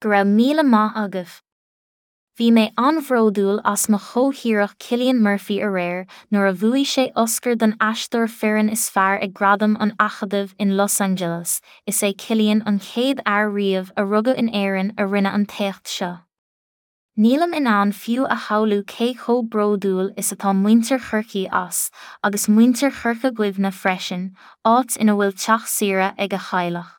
Go raibh míle maith agaibh. Bhí mé an-bhródúil as mo chomhthíreach Cillian Murphy aréir nuair a bhuaigh sé Oscar don aisteoir fireann is fearr ag Gradaim an Acadaimh in Los Angeles, is é Cillian an chéad fhear riamh a rugadh in Éirinn a rinne an t-éacht seo. Nílim in ann fiú a shamhlú cé chomh bródúil is atá muintir Chorcaí as, agus muintir Chorca Dhuibhne freisin, áit ina bhfuil teach saoire ag a theaghlach.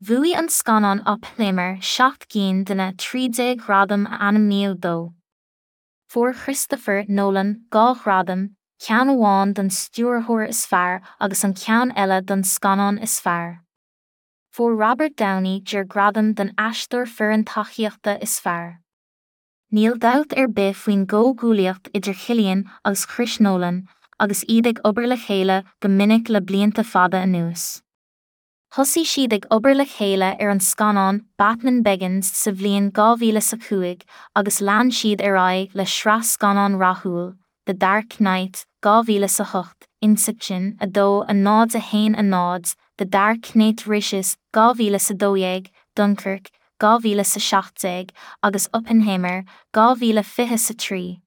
Bhuaigh an scannán Oppenheimer 7 gcinn de na 13 ghradam a ainmníodh dó. Fuair Christopher Nolan 2 ghradam, ceann amháin don stiúrthóir is fearr agus an ceann eile don scannán is fearr. Fuair Robert Downey Jr gradam don aisteoir fireann tacaíochta is fearr. Níl dabht ar bith faoin gcomhghuaillíocht idir Chillian agus Chris Nolan agus iad ag obair le chéile go minic le blianta fada anuas. Thosaigh siad ag obair le chéile ar an scannán Batman Begins sa bhliain 2005 agus lean siad ar aghaidh le sraith scannán rathúil, The Dark Knight, 2008, Inception, 2 0 1 0, The Dark Knight Rises, 2012, Dunkirk, 2017, agus Oppenheimer, 2023.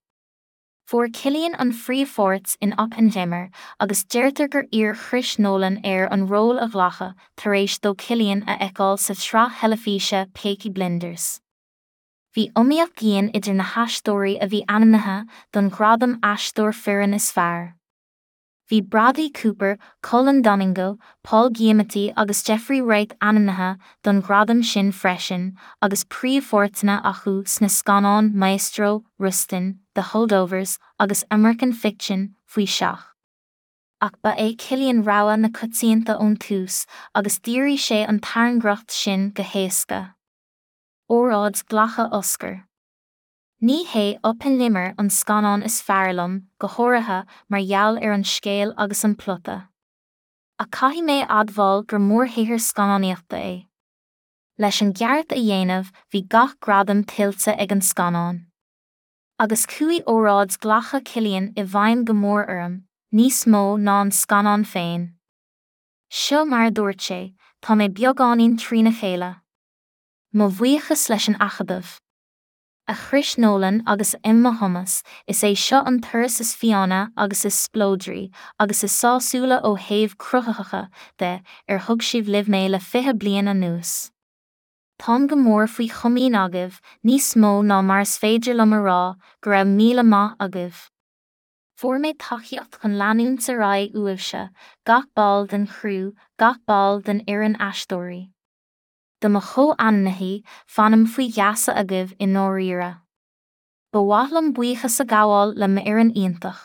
Fuair Cillian an phríomhpháirt in Oppenheimer agus deirtear gur iarr Chris Nolan air an ról a ghlacadh tar éis dó Cillian a fheiceáil sa tsraith theilifíse Peaky Blinders. Bhí iomaíocht dhian idir na haisteoirí a bhí ainmnithe don ghradam Aisteoir Fireann is Fearr. Bhí Bradley Cooper, Colman Domingo, Paul Giamatti agus Jeffrey Wright ainmnithe don ghradam sin freisin agus príomhpháirteanna acu sna scannáin Maestro, Rustin, The Holdovers agus American Fiction faoi seach. Ach ba é Cillian rogha na coitianta ón tús agus d'fhíoraigh sé an tairngreacht sin go héasca. Óráid glactha Oscar. Ní hé Oppenheimer an scannán is fearr liom, go háirithe mar gheall ar an scéal agus an plota. Ach caithfidh mé a admháil gur mórshaothar scannánaíochta é. Leis an gceart a dhéanamh, bhí gach gradam tuillte ag an scannán. Agus chuaigh óráid glactha Cillian i bhfeidhm go mór orm, níos mó ná an scannán féin. Seo mar a dúirt sé, Tá mé beagáinín trína chéile. Mo bhuíochas leis an Acadamh. A Chris Nolan agus a Emma Thomas, is é seo an turas is fiáine agus is spleodraí, agus is sásúla ó thaobh cruthaitheacha de, ar thug sibh libh mé le 20 bliain anuas. Táim go mór faoi chomaoin agaibh, níos mó ná mar is féidir liom a rá, go raibh míle maith agaibh. Fuair mé tacaíocht chun leanúint ar aghaidh uaibhse, gach ball den chriú, gach ball den fhoireann aisteoirí. Do mo chomh-ainmnithí, fanaim faoi gheasa agaibh i ndáiríre. Ba mhaith liom buíochas a ghabháil le m'fhoireann iontach.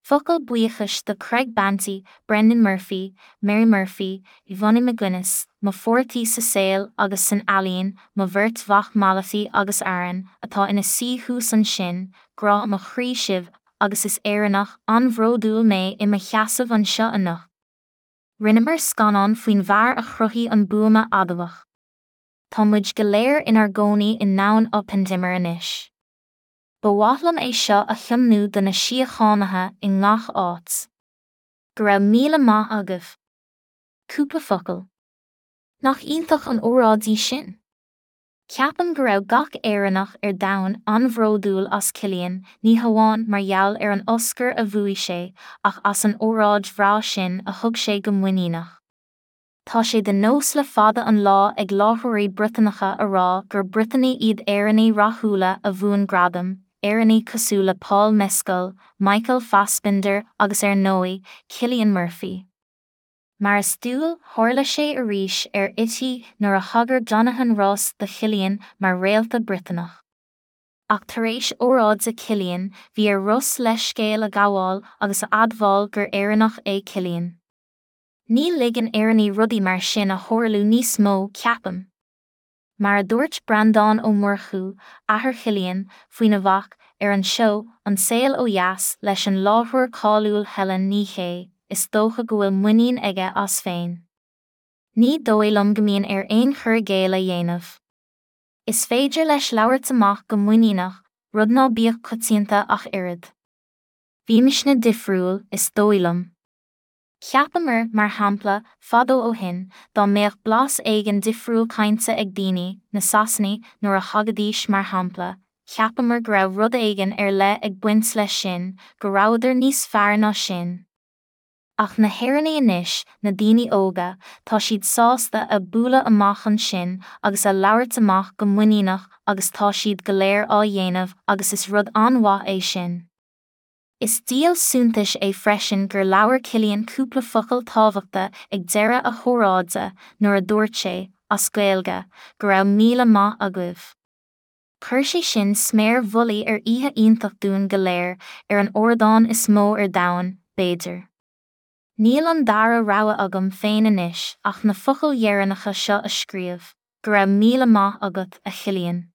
Focal buíochais do Craig Banty, Brendan Murphy, Mary Murphy, Yvonne McGuinness, mo pháirtí sa saol agus san ealaín, mo bheirt mhac Malachy agus Aaron, atá ina suí thuas ansin, grá mo chroí sibh agus is Éireannach an-bhródúil mé i mo sheasamh anseo anocht. Rinneamar scannán faoin bhfear a chruthaigh an buama adamhach. Tá muid go léir inár gcónaí i ndomhan Oppenheimer anois. Ba mhaith liom é seo a thiomnú do na síochánaithe i ngach áit. Go raibh míle maith agaibh. Cúpla focal. Nach iontach an óráid í sin? Ceapaim go raibh gach Éireannach ar domhan an-bhródúil as Cillian, ní hamháin mar gheall ar an Oscar a bhuaigh sé, ach as an óráid bhreá sin a thug sé go muiníneach. Tá sé de nós le fada an lá ag láithreoirí Briotanacha a rá gur Briotanaigh iad Éireannaigh rathúla a bhuann gradaim, Éireannaigh cosúil le Paul Mescal, Michael Fassbender agus ar ndóigh, Cillian Murphy. Mar is dual, tharla sé arís ar RTÉ nuair a thagair Jonathan Ross do Chillian mar réalta Briotanach. Ach tar éis óráide Chillian, bhí ar Ross leithscéal a ghabháil agus a admháil gur Éireannach é Cillian. Ní ligeann Éireannaigh rudaí mar sin a tharlú níos mó, ceapaim. Mar a dúirt Breandán Ó Murchú, athair Chillian, faoina mhac, ar an seó An Saol Ó Dheas leis an láithreoir cáiliúil Helen Ní Shé, is dócha go bhfuil muinín aige as féin. Ní dóigh liom go mbíonn air aon chur i gcéill a dhéanamh. Is féidir leis labhairt amach go muiníneach, rud ná bíodh coitianta ach oiread. Bímisne difriúil, is dóigh liom. Cheapamar, mar shampla, fadó ó shin, dá mbeadh blas éigin difriúil cainte ag daoine, na Sasanaigh, nuair a thagaidís mar shampla, cheapamar go raibh rud éigin ar leith ag baint leis sin, go rabhadar níos fearr ná sinn. Ach na hÉireannaigh anois, na daoine óga, tá siad sásta a bualadh amach ansin agus a labhairt amach go muiníneach agus tá siad go léir á dhéanamh agus is rud an-mhaith é sin. Is díol suntais é freisin gur labhair Cillian cúpla focal tábhachta ag deireadh a hóráide nuair a dúirt sé, as Gaeilge, go raibh míle maith agaibh. Chuir sé sin sméar mhullaigh ar oíche iontach dúinn go léir, ar an ardán is mó ar domhan, b'fhéidir. Níl an dara rogha agam féin anois ach na focail dheireanacha seo a scríobh, go raibh míle maith agat, a Chillian.